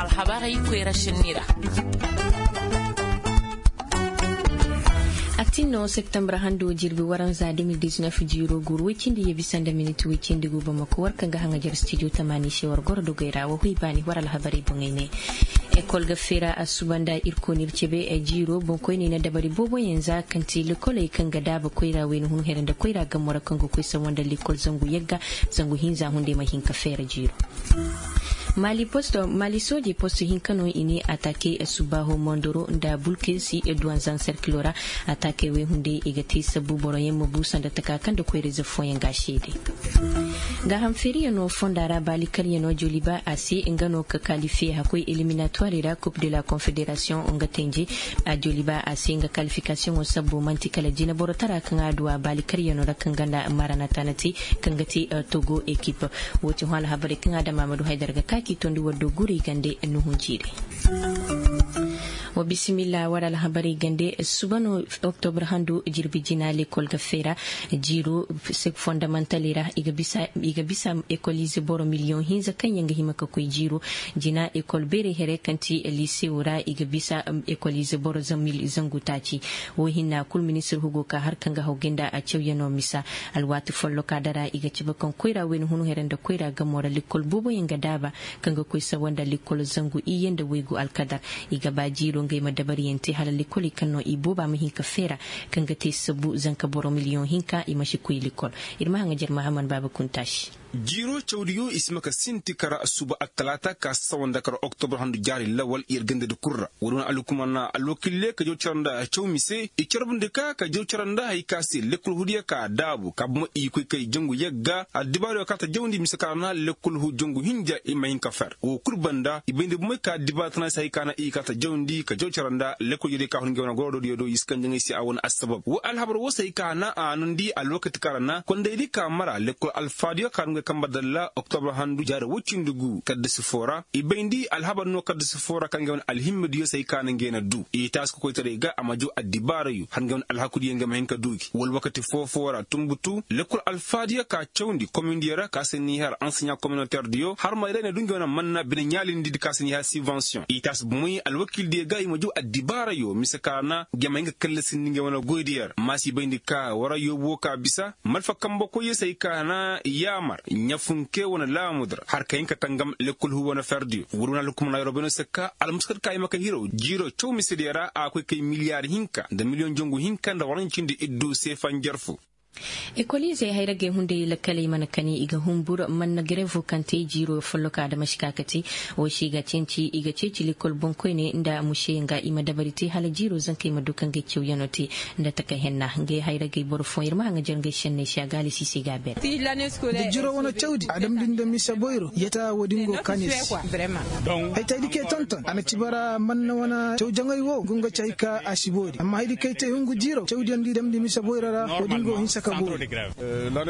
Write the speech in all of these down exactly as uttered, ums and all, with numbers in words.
Alhabarey koyra sinni ra. Atin no septembre hando jirbi waranza de mil diznef jiiro guuru woy cindi ye bisa nda minit woy cindi gu bamako war kaŋ ga haŋajer stijo tamaani se war goro dogey ra wa hoy baani war alhabarey boŋey ne. Ekol ga feera a suba nda ir koonir cebe jiiro boŋkoyney na dabari booboyaŋ za kaŋ ti lekoley kaŋ ga daaba koyra wayna hun here nda koyra gamo ra kaŋ ga koy sawa nda lekol zangu yagga zangu hinza hunday ma hin ka feera jiiro. Mali posto mali soojey posto hinka no i ne ataakey subbaaho mondoro nda bulkesi duwanzan serkilo ra. Ataakey wey hunday i ga te sabbu boroyaŋ ma bu sanda taka kaŋ nda koyra ize fooyaŋ ga a seede. Gaaham feeriyaŋo fonda ra baali kalyano joliba a se nga no ka kalifiye hakkoy eliminatwari ra kub de la konfederasiyoŋ nga tenje. A joliba a se nga kalifikasiyoŋo sabbo man'ti kala jinaboro tara kaŋ a du a baali karyano ra kaŋ ganda maranata na te kaŋ ga te togo ekip. Wo ti hõ alhabarey kaŋ a dam a ma du haydara ga ka k'i tondi war do guray gande nuhun jiiri. Wa bisimilla war alhabarey gande suba no oktobre handu jirbi jina lekol ga feera jiiro fondamantaley ra i ga bisa ekolize boro miliyoŋ hinza kaŋ yaŋ ga hima ka koy jiiro. Jina ekol beerey here kaŋ ti lisewo ra i ga bisa ekolize boro zangu taaci. Wo hinna kul ministir hugo ka har kaŋ ga haw ga nda a cawyano misa. Alwaati folloka dara i ga cabe kaŋ koyra wayna hunu here nda koyra gamo ra likol booboyaŋ ga daaba kaŋ ga koy sawa nda likol zangu iyye nda waygu alkadar. I ga ba jiiro ngey ma dabariyaŋ te hala likoley kaŋ no i booba ma hin ka feera kaŋ ga te sabu zanka boro miliyoŋ hinka i ma si koy likol. Ir ma haŋajer mahaman baaba kuntaasi. Jiiro cawdiyo i si ma ka sinti kara suba attalaata ka sawa nda kara oktobre handu jaari lawal yer gandadi kul ra. Woodi wane alhukumar na alwakille ka jaw cara nda caw mise i carbundi ka ka jaw cara nda hari ka se lekkol hudiyo ka daabu ka buma i koy kay jangu yagga addibaariyo ka ta jawndi mise kara na lekkol hu jangu hinja i ma hin ka fer wo kul banda i bayndi bumey ka addibaari tana se hari ka na i ka ta jawndi ka jaw cara nda lekkol jodiyo ka hun ngey wane goro dodiyo do i si kanjaŋey se a wane assabab wo alhabar wo se hari ka na a nundi alwakati kara na kondaydi ka mara lekkol alfaadiyo ka hun ngey kamba dalla oktobre handu jaari woy cindi gu kaddasi foo ra i bayndi alhabar no kaddasi foo ra kaŋ ngey wane alhimmadiyo se hari ka na ngey na du i taasi kokoytaray ga a ma jaw addibaarayo har ngey wane alhakudiyo ngey ma hin ka du gi wala wakati foo-foo ra tunbutu lekkol alfaadiyo ka cawndi komindiyo ra ka se n'i har anseɲa kominotɛrdiyo har ma day na du ngey wane manna bine ɲaalindi di ka se n'i har sibansiyoŋ i taasi bumey alwakildiyo ga i ma jaw addibaarayo mise ka na ngey ma hin ka kallasindi ngey wane goydiyo ra maasi bayndi ka wara yoobuwo ka bisa malfa kambe koyyo se hari ka na yaamar ɲafunke wane laamudi ra har ka hin ka tangam lekkol hu wane ferdiyo wala wane alhukumar na yorobayno se ka almuskar ka i ma ka hiraw jiiro caw misediyo ra a koy kay miliyaar hinka nda miliyoŋ jangu hinka nda waranci nda iddu seefa njarfu. Ekoliizey hayragey hunday lakkaley mana kani i ga humbur manna garevo kaŋ te jiiro folloka da masi ka ka te. Wo se i ga ceeci i ga ceeci lekol boŋkoyne nda museyaŋ ga i ma dabari te hala jiiro zankey ma du kaŋ ga ay cawyaŋo te nda taka henna ngey hayragey boro fooyaŋ ir ma haŋajer ngey senney se a gaalisi se ga a ber. Da jiro wane cawdi a damndi nda mise boyro yata wo-din go kaanir se. Ay te ay di kay tonton a na ci bara manna wane cawjaŋey wo ngu nga ci hay ka a si boori amma hay di kay te hungu jiiro cawdiyaŋ di damndi mise boyro ra wo-din go hinsa ka boori.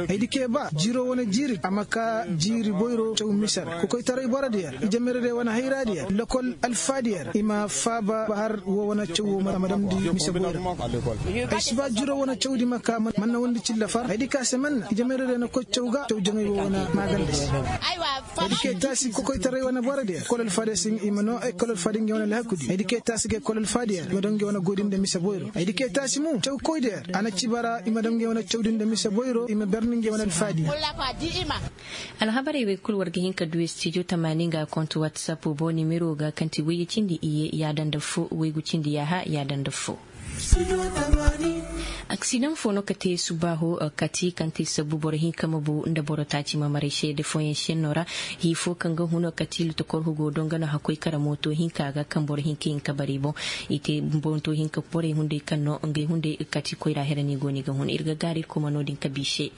Ay di kay ba jiiro wane jiiri a ma ka jiiri boyro caw mise ra kokoytaray borodiyaŋ ijamerediyaŋ wane hayraadiyaŋ lokol alfaadiyaŋ i ma faaba ba har wo wane caw wo ma damndi mise boyro. Ay si ba jiro wane cawdi ma ka manna wandi cilla far ay di ka se manna ijamerediyaŋ na koy caw ga caw jaŋay wo wane maaganda se. Ay di kay taasi kokoytaray wane borodiyaŋ kolol faadiyaŋ se i ma noo ay kolol faadiyaŋ ga wane alhakudi ay di kay taasi ga ay kolol faadiyaŋ i ma daŋ ga wane goodi nda mise boyro ay di kay taasi mo cawkoydiyaŋ a na ci bara i ma daŋ ga wane cawdi nda mise boyro i ma berni ga wane alfaadi. Alhabarey wey kul war ga hin ka du studio tamaani nga kontu whatsapp bo nimero ga kaŋ ti wayye cindi iyye yaada nda fo waygu cindi yaaha yaada nda fo. Aksidaŋ fo no ka te subaaho kati kaŋ te sabbu boro hinka ma bu nda boro taaci ma maray seede fooyaŋ senno ra. Hii fo kaŋ ga hun kati lutokor hugo do nga no hakkoy kara mooto hinka ga kaŋ boro hinka hin ka bare boŋ. I te mooto hinka borey hunday kaŋ no ngey hunday kati koyra here no i go no i ga hun ir ga gaaru ir kuma no-din ka bi se.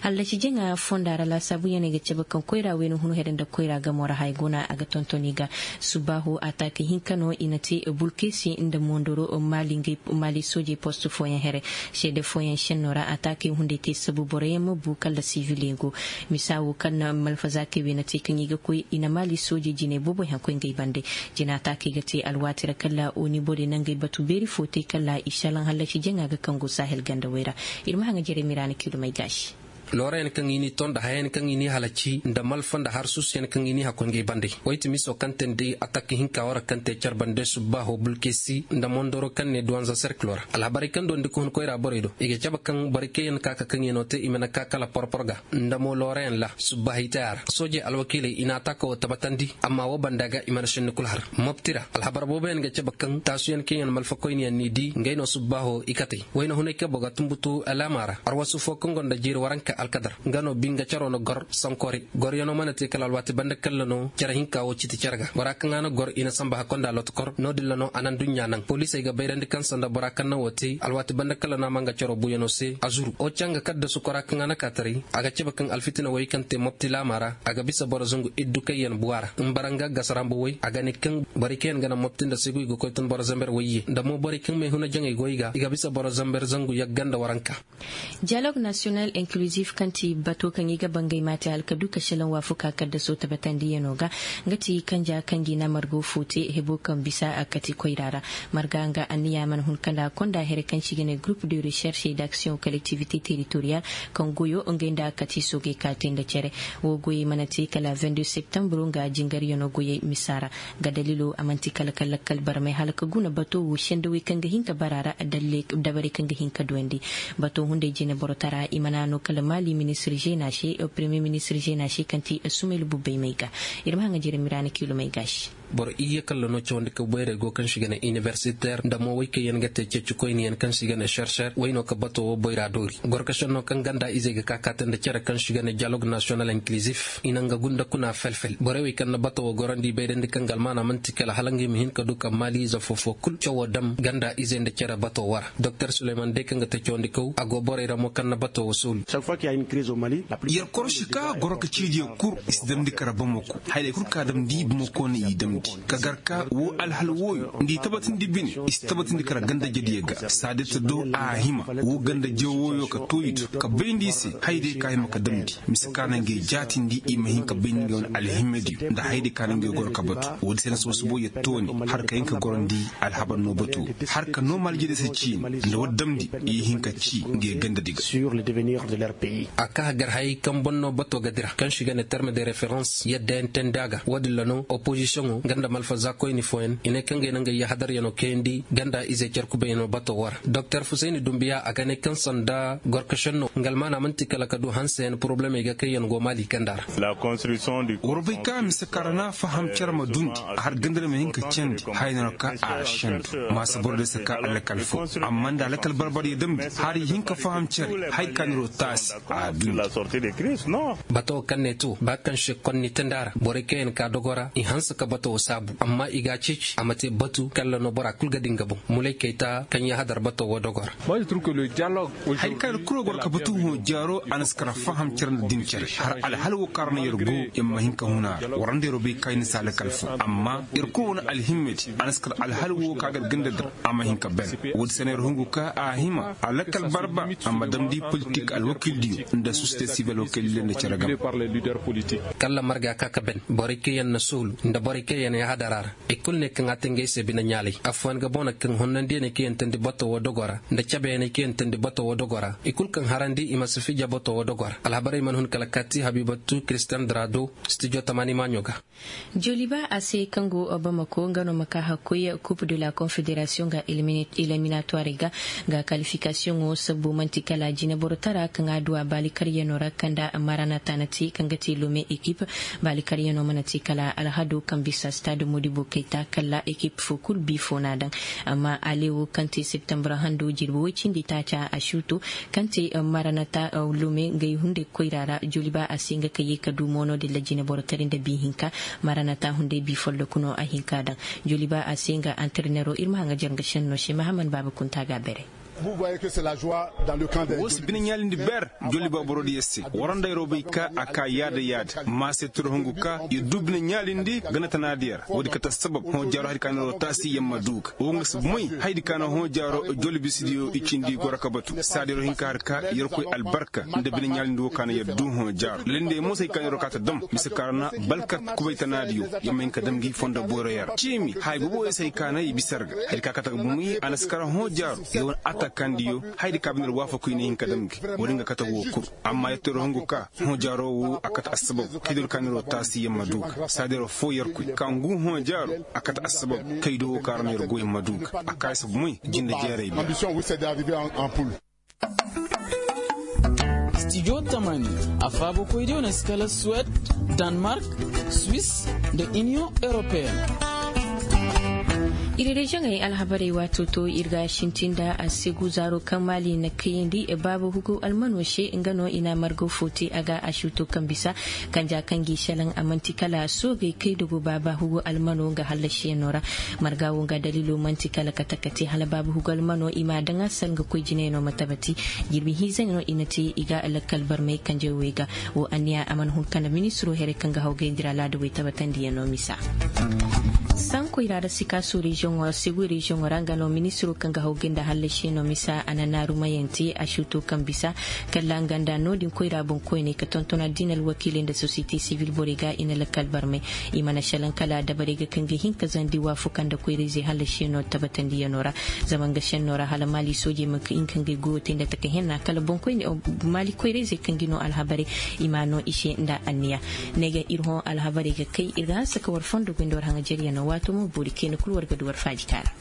Hallasi jaŋa fonda ra laasaabuyaŋ no ay ga cabe kaŋ koyra wayna hun here nda koyra gamo ra haya go no a ga tonton i ga. Subaaho ataake hinka no i na te bulkesi nda mondoro maali soojey post fooyaŋ here. Seede fooyaŋ senno ra ataakey hunday te sabu boroyaŋ ma bu kala siviley go. Misa wo kaŋ na malfazaakey wey na te kaŋ i ga koy i na maali soojey jinay booboyaŋ koy ngey bande. Jina taakey ga te alwaati ra kala oni borey na ngey batu beeri fo te kala i salaŋ hallasi jaŋa ga kaŋ go sahel gandawey ra. Ir ma haŋa jere miraana kidumey gaasi. Loorayaŋ kaŋ i n'i too nda hayayaŋ kaŋ i n'i halaci nda malfa nda har suusuyaŋ kaŋ i n'i hakkoy ngey bande. Way ti miso kaŋ te nda atak hinka wara kaŋ te car bande subbaaho bulkesi nda mondoro kaŋ ne duwanza serkilo ra. Alhabarey kaŋ dondi ka hun koyra borey do i ga cabe kaŋ borey kaŋ yaŋ ka ka kaŋyaŋo te i mana ka kala porpor ga nda mo loorayaŋ ra. Subbaahi taya ra soojey alwakiiley i na ataaka wo tabatandi amma wo banda ga i mana senni kul har. Mopti ra alhabar booboyaŋ ga cabe kaŋ taasuyaŋ kaŋ yaŋ malfakoyniyaŋ n'i di ngey no subbaaho i katey. Wayna hunay kabo ga tumbutu alaama ra arwasu fo kaŋ gonda jiiri waranka alkadar nga no binga caro na gor sankori. Goryaŋo mana te kala alwaati banda kalla no cere hinka wo citi cere ga bora kaŋ a na gor i na samba hakkonda lotokor no-din ra no a na nduɲɲa naŋ poliisey ga bayrandi kaŋ sanda bora kaŋ na wo te alwaati banda kalla no a ma nga caro buuyaŋo se a zuru o canga kaddasu kora kaŋ a na kaataray. A ga cabe kaŋ alfitina woy kaŋ te mopti laama ra a ga bisa boro zangu iddu kaŋ yaŋ buwa ra nbara nga gasarambu woy a ga ne kaŋ borey kaŋ yaŋ ga naŋ mopti nda seegu i ga koy tun boro zamber woy ye nda mo borey kaŋ meehuna jaŋey go i ga i ga bisa boro zamber zangu yagga nda waranka. Diyalog nasiyonal inkluzif kaŋ ti bato kaŋ i ga bangay maate hala ka du ka šelaŋ waafuka kaddaso tabatandiyaŋo ga. Nga ti kanja kaŋ gi na margo fo te hebo kaŋ bisa a kati koyra ra. Marga nga anniya mana hun kanda konda here kaŋ si ga ne gurup de recherche et d'action kolektivite teritoriyal kaŋ goyo ngey nda a kati soogey ka te nda cere. Wo goyey mana te kala vingt-deux septembre nga jingaryaŋo goyey misa ra. Ga dalilo a man'ti kala ka lakkal barmay hala ka guna bato wo sendawey kaŋ ga hin ka bara ra dalle dabarey kaŋ ga hin ka duwandi. Bato hunday jine borotara i mana no kala maali ministir žena se premier ministir žena se kaŋ ti sumaylu bubbay may ga. Ir ma haŋa jire miraana kiilumay ga se. Boro iyye kalla no cawandi ka boyray go kaŋ si ga ne iniversiter nda mo way kaŋ yaŋ ga te ceecikoyniyaŋ kaŋ si ga ne serser way no ka bato wo boyra doori gorkasenno kaŋ ganda izey ga ka kaate nda cere kaŋ si ga ne dialog nasiyonal inkilizif i na nga gunda kuna felfel borey wey kaŋ na bato wo gorandi bayrandi kaŋ ga almaana man'ti kala hala ngey ma hin ka du ka maaliize foofo kul cawo dam ganda izey nda cere bato wo ra. Doktor suleyman day kaŋ ga te cawandikaw a go borey ra mo kaŋ na bato wo soolu. Yer korosi ka goro ka ciidiyo kul i si damndi kara bamako. Hayrey kul ka damndi bamako na i damndi ka gar ka wo alhal wooyo nda i tabatindi bine. I si tabatindi kara gandajediyo ga saadita do a hima wo gandaje wooyo ka tooyi do ka bayndi i se. Hayrey ka hima ka damndi mise ka na ngey jaatindi i ma hin ka bayndi ngey wane alhimediyo nda hayrey ka na ngey goro ka batu. Woodi se na soosuboo yer tooni har ka hin ka gorandi alhabar no batu har ka no malijedi se ciini nda war damndi i hin ka ci ngey gandadi ga. A ka hagar hayey kaŋ boŋ no bato ga dira kaŋ si ga ne terme de referans yadda yaŋ teendi a ga woodin ra no opozisiyoŋo nga nda malfaza koyni fooyaŋ i ne kaŋ ga ay na nga yahadaryaŋo kayandi ganda izey carkubayyaŋo bato wo ra. Doktor fusayni dumbiya a ga ne kaŋ sanda gorkasenno nga almaana man'ti kala ka du hanseyaŋ porobulemey ga kaŋ yaŋ go maali ganda ra. War bay ka mise kaŋ ra na faham cere ma dundi a har ganda ra ma hin ka candi haya no ka a sendu. Maasa boro day si ka alakal fo amma nda alakal barbar ya damndi har i hin ka faham cere haya ka niro taasi a dundi. Bato kaŋ ne to ba kaŋ se konni tanda ra borey kaŋ yaŋ ka dogo ra i hanse ka bato wo saabu amma i ga a ceeci a ma te batu kalla no bora kul ga di nga boŋ. Mulay kayta kaŋ ya hadar bato wo dogo ra. Haya kaŋ yer kul war goro ka batu hõ jaaro a na si kar faham cere nda din cere har alhal wo kaŋ ra no yer go yer ma hin ka hun a ra war nda yer wo bay kaŋ i na si alakal fo amma yer kul wane alhimmedi a na si kar alhal wo kaŋ a ga yer ganda dir a ma hin ka ben. Woodi se no yer hungu ka a hima alakal barba a ma damndi politik alwakiildiyo nda sosiyete sibil alwakiildiyo nda cere game. Kalla marga ka ka ben borey kaŋ yaŋ na soolu nda borey kaŋ yaŋ na yahadara ra. I kul ne kaŋ a te ngey se bine ɲaalay affooyaŋ ga boŋ na kaŋ honnandiyaŋey kaŋ yaŋ teendi bato wo dogo ra nda cabeyaŋey kaŋ yaŋ teendi bato wo dogo ra i kul kaŋ harandi i ma si fija bato wo dogo ra alhabarey mana hun kala kaati habibatu kiristiyan dara do. Stijo tamaani maaɲo ga. Joliba a se kaŋ go bamako nga no ma ka hakkoy kup de la konfederasiyoŋ ga iliminatuwarey ga. Nga kalifikasiyoŋo sabbo man'ti kala jineboro tara kaŋ a du a baalikaryaŋo ra kaŋ nda maranata na te kaŋ ga te lome ekip. Baalikaryaŋo mana te kala alhado kaŋ bisa stade modibo kayta kala ekip fo kul bi fo n'a daŋ. Amma ale wo kaŋ te septembre hando jirbi woy cindi taaca a suuto kaŋ te maranata lome ngey hunday koyra ra joliba a se nga ka ye ka du moono dilla jineboro tari nda bi hinka. Maranata hunday bi folloku no a hin ka daŋ. Joliba a se nga antarenero ir ma haŋa jar nga senno se mahaman baaba kunta ga a bere. Wo si bine ɲaalindi ber joliba borodiyo se war nda yeroo bay ka a ka yaada yaada ma se tiro hungu ka yer du bine ɲaalindi gana tanaadiyo ra woodi kate sabab hõ jaaro hari ka na yeroo taasi yer ma du ga wo nga si moy haydi ka na hõ jaaro jolibisidiyo i cindi goro ka batu saada yeroo hin ka har ka yerkoy albarka nda bine ɲaalindi wo ka na yer du hõ jaaro lallinde yer mo si hay ka na yeroo ka ta dam mise ka ra na balkat kubay tanaadiyo yer ma hin ka dam ngi fondo boyroyo ra ciimi hay boobo yer si hay ka na i bisa yer ga hari ka kate ga bumey a na si kar hõ jaaro yer wane. takandiyo, haydi ka bine ra waafaku i na hin ka dam gi. Wala nga kate wo kul. Amma yetteeroo hungu ka hõ jaaroo wo a kate assabab kaydoo ka neeroo taasi yer ma du ga saadayra foo yerkoy ka ngu hõ jaaroo a kate assabab kaydoo wo ka ra neeroo goy ma du ga. A kaay sabu moy jinde jeeray bi. Stijo tamani, a faabakoydiyo na si kala suwed, danmark, swis, nda iniyoŋ europeen. Ir reziyoŋey alhabarey waato to ir ga sintin nda a segu zaaro kaŋ maali na kayandi baaba hugu almano se nga no i na margo fo te a ga a suuto kaŋ bisa kanja kaŋ gi selaŋ a man'ti kala soogey kay dogo baaba hugu almano nga hallasiyaŋo ra. Marga wo nga daliilo man'ti kala kate kate hala baaba hugu almano i ma a daŋ a sal nga koy jinayano ma tabati. Jirbi hinzey no i na te i ga lakkal barmey kanjey wey ga. Wo anniya a mana hun kala ministiro here kaŋ ga hawgay nda iri alaada wey tabatandiyaŋo misa. Sankoy ra da sikaaso reziyoŋo ra segu reziyoŋo ra nga no ministiro kaŋ ga hawgay nda hallasiyaŋo misa a na naarumayante a suuto kaŋ bisa kala nga nda no-din koyra boŋkoyney ka tonton addiina alwakiiley nda sosiyete sibil borey ga i na lakkal barmey. I mana selaŋ kala dabarey ga kaŋ ga hin ka zandi waafuka nda koyra-izey hallasiyaŋo tabatandiyaŋo ra. Zama nga senno ra hala maali soojey ma hin ka ngey goyo te nda taka henna kala boŋkoyne maali koyra-izey kaŋ gi no alhabarey i ma no i se nda anniya. Ne ga ir hõ alhabarey ga kay ir ga hanse ka war fondo goy nda war haŋajeryaŋo waato mo boori kayna kul war ga du war faajika ra.